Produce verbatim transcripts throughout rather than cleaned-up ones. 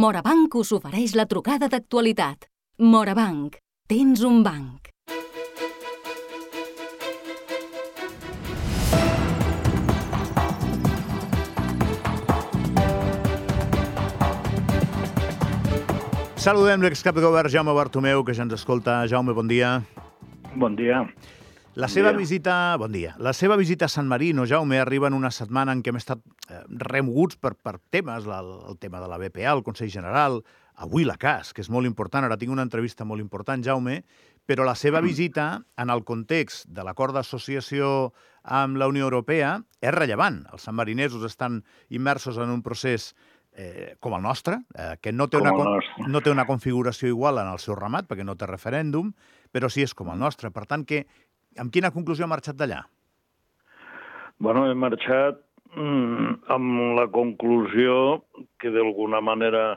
Morabanc us ofereix la trucada d'actualitat. Morabanc, tens un banc. Saludem l'excap de govern Jaume Bartomeu, que ja ens escolta. Jaume, bon dia. Bon dia. La seva visita, bon dia. La seva visita a San Marino, Jaume, arriba en una setmana en què hem estat remoguts per, per temes, el, el tema de la B P A, el Consell General, avui la C A S, que és molt important. Ara tinc una entrevista molt important, Jaume, però la seva visita, en el context de l'acord d'associació amb la Unió Europea, és rellevant. Els sanmarinesos estan immersos en un procés eh, com el nostre, eh, que no té, una, no té una configuració igual en el seu ramat, perquè no té referèndum, però sí és com el nostre. Per tant, que amb quina conclusió ha marxat d'allà? Bueno, he marxat mm, amb la conclusió que d'alguna manera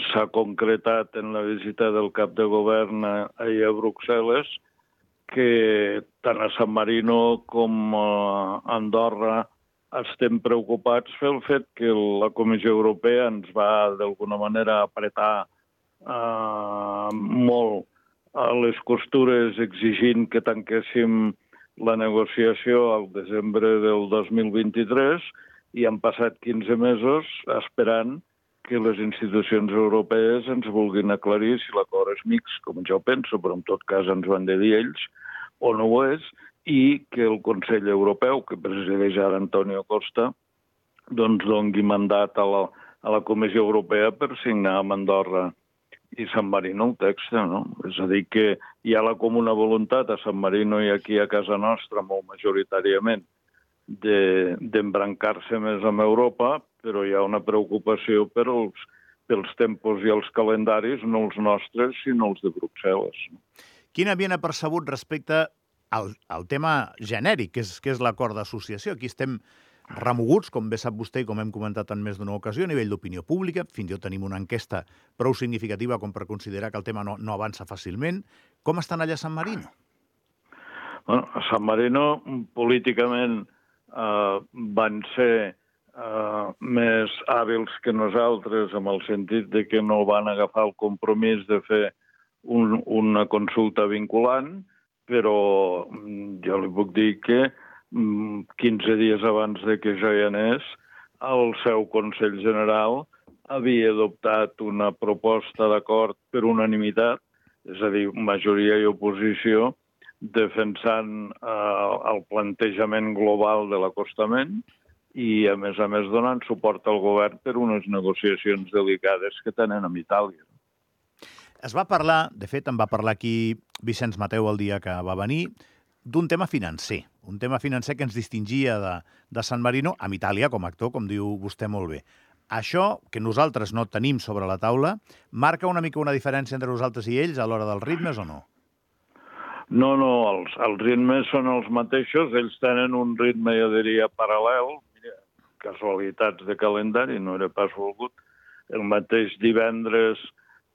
s'ha concretat en la visita del cap de govern ahir a Bruxelles, que tant a San Marino com a Andorra estem preocupats pel fet que la Comissió Europea ens va d'alguna manera apretar eh, molt a les costures exigint que tanquéssim la negociació al desembre del dos mil vint-i-tres i han passat quinze mesos esperant que les institucions europees ens vulguin aclarir si l'acord és mixt, com jo penso, però en tot cas ens ho han de dir ells, o no ho és, i que el Consell Europeu, que presideix ara Antonio Costa, doncs doni mandat a la, a la Comissió Europea per signar amb Andorra i San Marino el text, no? És a dir, que hi ha la comuna voluntat a San Marino i aquí a casa nostra, molt majoritàriament, d'embrancar-se més amb Europa, però hi ha una preocupació per els, pels tempos i els calendaris, no els nostres, sinó els de Bruxelles. Quin havien apercebut respecte al, al tema genèric, que és, que és l'acord d'associació? Aquí estem remoguts, com bé sap vostè i com hem comentat en més d'una ocasió, a nivell d'opinió pública. Fins i tot tenim una enquesta prou significativa com per considerar que el tema no, no avança fàcilment. Com estan allà a San Marino? Bueno, a San Marino, políticament, eh, van ser eh, més hàbils que nosaltres, en el sentit de que no van agafar el compromís de fer un, una consulta vinculant, però jo li puc dir que quinze dies abans de que jo hi anés, el seu Consell General havia adoptat una proposta d'acord per unanimitat, és a dir, majoria i oposició, defensant eh, el plantejament global de l'acostament i, a més a més, donant suport al govern per unes negociacions delicades que tenen amb Itàlia. Es va parlar, de fet, en va parlar aquí Vicenç Mateu el dia que va venir, d'un tema financer, un tema financer que ens distingia de, de San Marino amb Itàlia com a actor, com diu vostè molt bé. Això, que nosaltres no tenim sobre la taula, marca una mica una diferència entre nosaltres i ells a l'hora dels ritmes o no? No, no, els, els ritmes són els mateixos, ells tenen un ritme, jo diria, paral·lel, mira, casualitats de calendari, no era pas volgut. El mateix divendres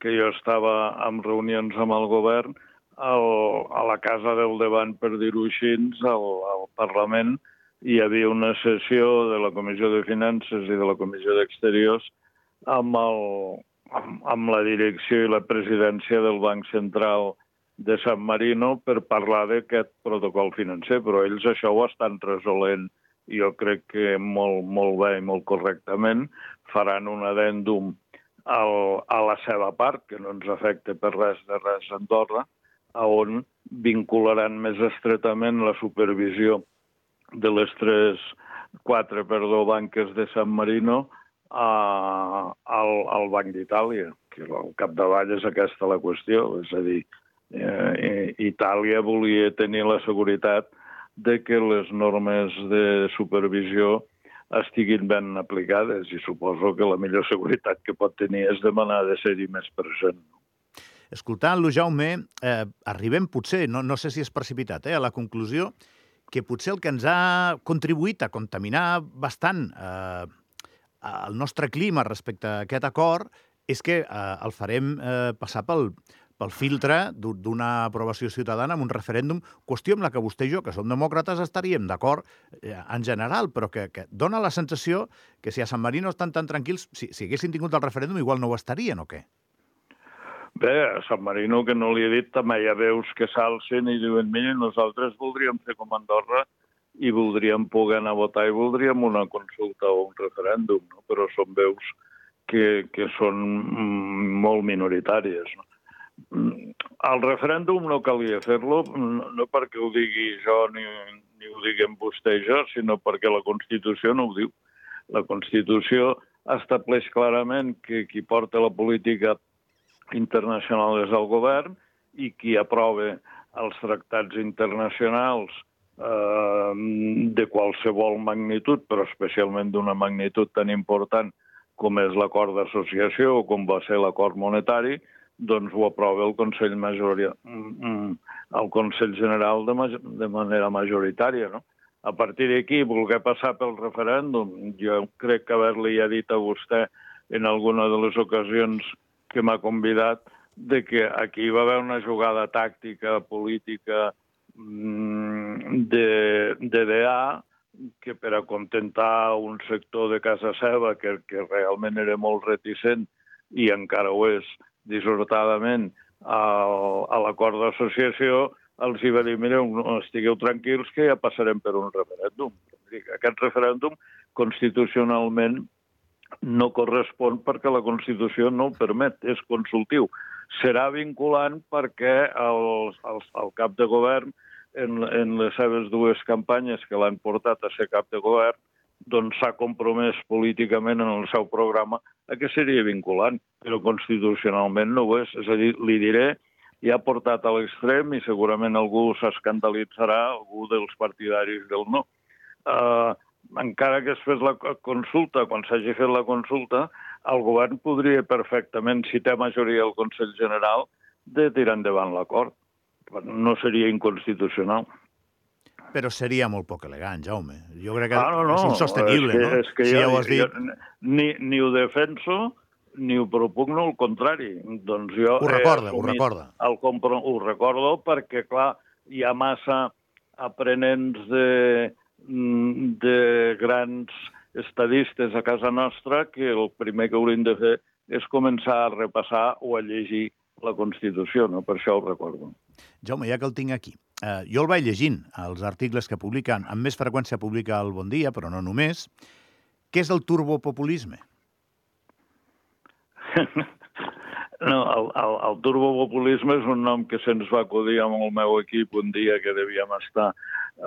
que jo estava en reunions amb el govern, El, a la Casa del Davant, per dir-ho així, al, al Parlament, hi havia una sessió de la Comissió de Finances i de la Comissió d'Exteriors amb, el, amb, amb la direcció i la presidència del Banc Central de San Marino per parlar d'aquest protocol financer, però ells això ho estan resolent, jo crec que molt, molt bé i molt correctament, faran un addendum al, a la seva part, que no ens afecta per res de res a Andorra, on vincularan més estretament la supervisió de les tres, quatre, perdó, banques de San Marino a, al, al Banc d'Itàlia, que al capdavall és aquesta la qüestió. És a dir, eh, Itàlia volia tenir la seguretat de que les normes de supervisió estiguin ben aplicades i suposo que la millor seguretat que pot tenir és demanar de ser-hi més present. Escoltant-lo, Jaume, eh, arribem potser, no, no sé si és precipitat, eh, a la conclusió que potser el que ens ha contribuït a contaminar bastant eh, el nostre clima respecte a aquest acord és que eh, el farem eh, passar pel, pel filtre d'una aprovació ciutadana en un referèndum, qüestió amb la que vostè i jo, que som demòcrates, estaríem d'acord en general, però que, que dona la sensació que si a San Marino estan tan tranquils, si, si haguessin tingut el referèndum, igual no ho estarien, o què? Bé, a San Marino, que no li he dit, també hi ha veus que s'alcen i diuen, mira, nosaltres voldríem fer com Andorra i voldríem poder anar a votar i voldríem una consulta o un referèndum, no? Però són veus que, que són molt minoritàries. No? El referèndum no calia fer-lo, no, no perquè ho digui jo ni, ni ho diguem vostè i jo, sinó perquè la Constitució no ho diu. La Constitució estableix clarament que qui porta la política internacional és el govern i qui aprova els tractats internacionals eh, de qualsevol magnitud, però especialment d'una magnitud tan important com és l'acord d'associació o com va ser l'acord monetari, doncs ho aprova el Consell, majoria, el Consell General de, de manera majoritària. No? A partir d'aquí, voler passar pel referèndum, jo crec que haver-li ja dit a vostè en alguna de les ocasions que m'ha convidat, de que aquí va haver una jugada tàctica, política, de, de D A, que per acontentar un sector de casa seva que, que realment era molt reticent i encara ho és dissortadament a, a l'acord d'associació, els hi va dir, mireu, estigueu tranquils que ja passarem per un referèndum. Aquest referèndum constitucionalment no correspon perquè la Constitució no ho permet, és consultiu. Serà vinculant perquè el, el, el cap de govern, en, en les seves dues campanyes que l'han portat a ser cap de govern, doncs s'ha compromès políticament en el seu programa a que seria vinculant, però constitucionalment no ho és. És a dir, li diré, ja ha portat a l'extrem i segurament algú s'escandalitzarà, algú dels partidaris del no. Uh, encara que es fes la consulta, quan s'hagi fet la consulta, el govern podria perfectament, si té majoria al Consell General, de tirar endavant l'acord. No seria inconstitucional. Però seria molt poc elegant, Jaume. Jo crec que ah, no, no. és insostenible, és que, no? És que si jo, ja ho has dit... jo, ni, ni ho defenso, ni ho propugno, al contrari. Doncs jo ho recorda, ho recorda. El compro, ho recordo perquè, clar, hi ha massa aprenents de, de grans estadistes a casa nostra que el primer que haurien de fer és començar a repassar o a llegir la Constitució, no? Per això ho recordo. Jaume, ja que el tinc aquí, eh, jo el vaig llegint, els articles que publiquen, amb més freqüència publica el Bon Dia, però no només. Què és el turbopopulisme? No, el, el, el turbopopulisme és un nom que se'ns va acudir amb el meu equip un dia que devíem estar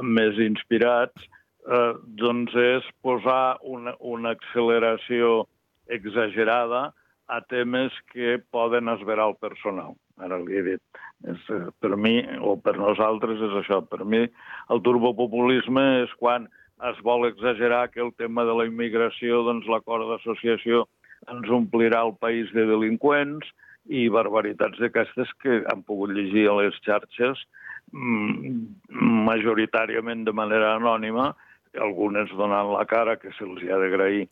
més inspirats, eh, doncs és posar una, una acceleració exagerada a temes que poden esverar el personal. Ara li he dit. És, per mi, o per nosaltres, és això. Per mi, el turbopopulisme és quan es vol exagerar que el tema de la immigració, doncs l'acord d'associació ens omplirà el país de delinqüents i barbaritats d'aquestes que han pogut llegir a les xarxes majoritàriament de manera anònima, algunes donant la cara, que se'ls ha d'agrair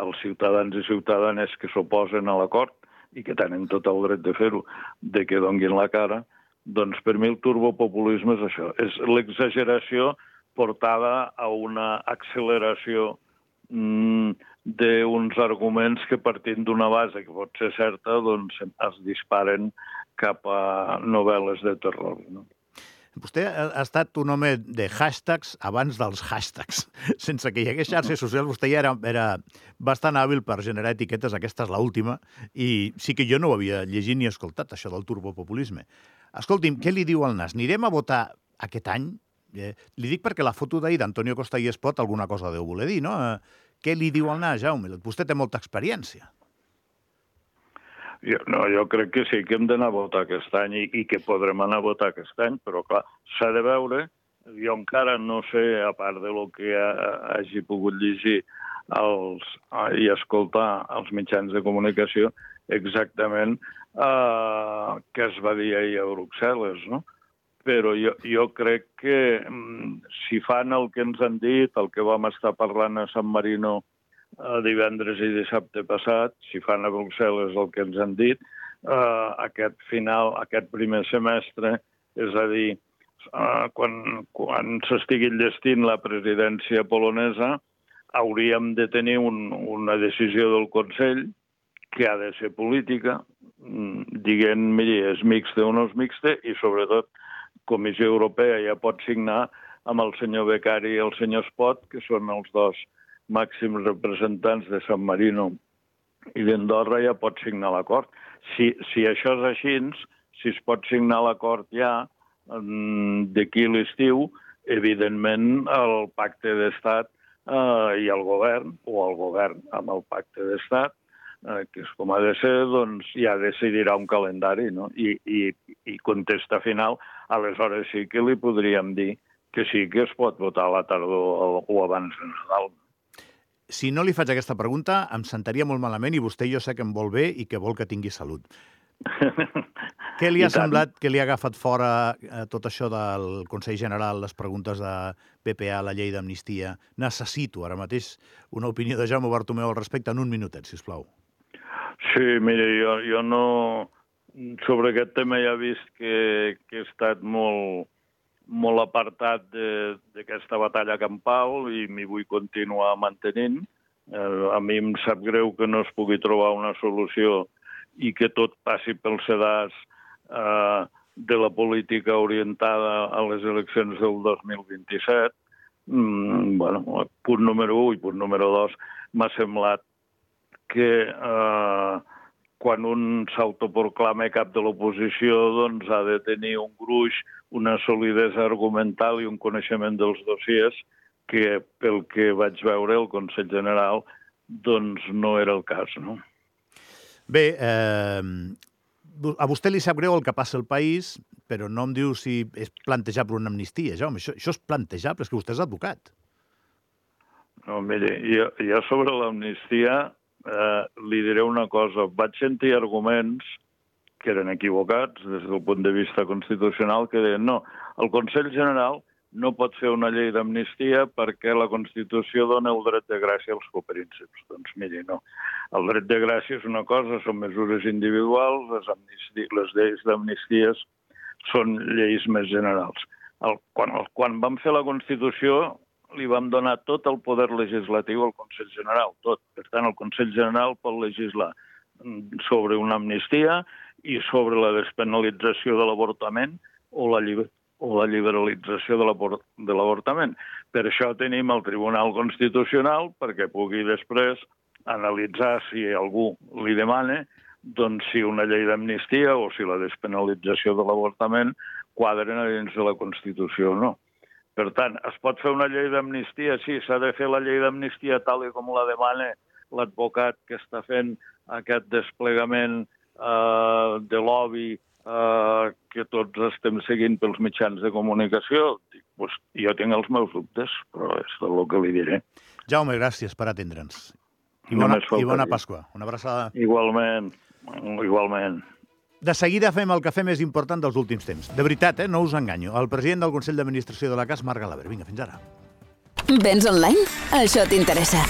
als ciutadans i ciutadanes que s'oposen a l'acord i que tenen tot el dret de fer-ho, de que donguin la cara, doncs per mi el turbopopulisme és això, és l'exageració portada a una acceleració mm, d'uns arguments que partint d'una base que pot ser certa, doncs es disparen cap a novel·les de terror, no? Vostè ha estat un home de hashtags abans dels hashtags. Sense que hi hagués xarxes socials, vostè ja era, era bastant hàbil per generar etiquetes, aquesta és l'última, i sí que jo no ho havia llegit ni escoltat, això del turbopopulisme. Escolti'm, què li diu el Nas? Anirem a votar aquest any? Eh, li dic perquè la foto d'ahir d'Antonio Costa i Espot alguna cosa deu voler dir, no? Eh, què li diu el Nas, Jaume? Vostè té molta experiència. Jo, no, jo crec que sí que hem d'anar a votar aquest any i, i que podrem anar a votar aquest any, però clar, s'ha de veure, jo encara no sé, a part de lo que ha, hagi pogut llegir els, i escoltar els mitjans de comunicació, exactament eh, què es va dir ahir a Bruxelles, no? Però jo, jo crec que si fan el que ens han dit, el que vam estar parlant a San Marino divendres i dissabte passat, si fan a Bruxelles el que ens han dit, eh, aquest final, aquest primer semestre, és a dir, eh, quan, quan s'estigui enllestint la presidència polonesa, hauríem de tenir un, una decisió del Consell que ha de ser política, dient, miri, és mixta o no és mixta, i sobretot Comissió Europea ja pot signar amb el senyor Becari i el senyor Espot, que són els dos màxims representants de San Marino i d'Andorra, ja pot signar l'acord. Si, si això és així, si es pot signar l'acord ja d'aquí l'estiu, evidentment el pacte d'estat eh, i el govern, o el govern amb el pacte d'estat, eh, que és com ha de ser, doncs ja decidirà un calendari, no? I, i, i contesta final, aleshores sí que li podríem dir que sí que es pot votar a la tardor o abans de Nadal. Si no li faig aquesta pregunta, em sentaria molt malament i vostè jo sé que em vol bé i que vol que tingui salut. Què li ha semblat que li ha agafat fora eh, tot això del Consell General, les preguntes de P P A, la llei d'amnistia? Necessito ara mateix una opinió de Jaume Bartomeu al respecte en un minutet, sisplau. Sí, mira, jo, jo no... Sobre aquest tema ja he vist que, que he estat molt, molt apartat d'aquesta batalla campal i m'hi vull continuar mantenint. Eh, a mi em sap greu que no es pugui trobar una solució i que tot passi pel sedàs eh, de la política orientada a les eleccions del dos mil vint-i-set. Mm, bueno, punt número u i punt número dos, m'ha semblat que eh, quan un s'autoproclama cap de l'oposició, doncs ha de tenir un gruix, una solidesa argumental i un coneixement dels dossiers que, pel que vaig veure el Consell General, doncs no era el cas, no? Bé, eh, a vostè li sap greu el que passa al país, però no em diu si és plantejable una amnistia, Jaume. Això, això és plantejable, és que vostè és advocat. No, mire, jo, jo sobre l'amnistia eh, li diré una cosa. Vaig sentir arguments que eren equivocats des del punt de vista constitucional que deien no, el Consell General no pot fer una llei d'amnistia perquè la Constitució dona el dret de gràcia als coprínceps. Doncs miri, no. El dret de gràcia és una cosa, són mesures individuals, les, amnistia, les lleis d'amnisties són lleis més generals. El, quan, el, quan vam fer la Constitució li vam donar tot el poder legislatiu al Consell General, tot. Per tant, el Consell General pot legislar sobre una amnistia i sobre la despenalització de l'avortament o la llibertat o la liberalització de l'avortament. Per això tenim el Tribunal Constitucional, perquè pugui després analitzar si algú li demana doncs si una llei d'amnistia o si la despenalització de l'avortament quadren dins de la Constitució o no. Per tant, es pot fer una llei d'amnistia? Sí, s'ha de fer la llei d'amnistia tal com la demana l'advocat que està fent aquest desplegament eh, de lobby Uh, que tots estem seguint pels mitjans de comunicació. Pues, jo tinc els meus dubtes, però és tot el que li diré. Jaume, gràcies per atendre'ns. I bona, i bona Pasqua. Una abraçada. Igualment, igualment. De seguida fem el cafè més important dels últims temps. De veritat, eh? No us enganyo. El president del Consell d'Administració de la C A S, Marc Galaver. Vinga, fins ara. Vens online? Això t'interessa.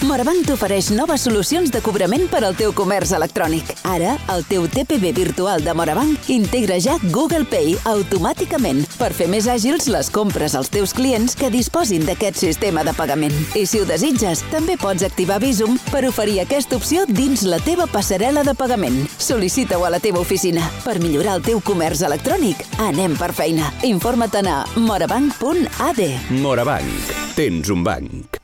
Morabanc t'ofereix noves solucions de cobrament per al teu comerç electrònic. Ara, el teu T P V virtual de Morabanc integra ja Google Pay automàticament per fer més àgils les compres als teus clients que disposin d'aquest sistema de pagament. I si ho desitges, també pots activar Bizum per oferir aquesta opció dins la teva passarel·la de pagament. Sol·licita-ho a la teva oficina. Per millorar el teu comerç electrònic, anem per feina. Informa't a morabanc punt a d. Morabanc. Tens un banc.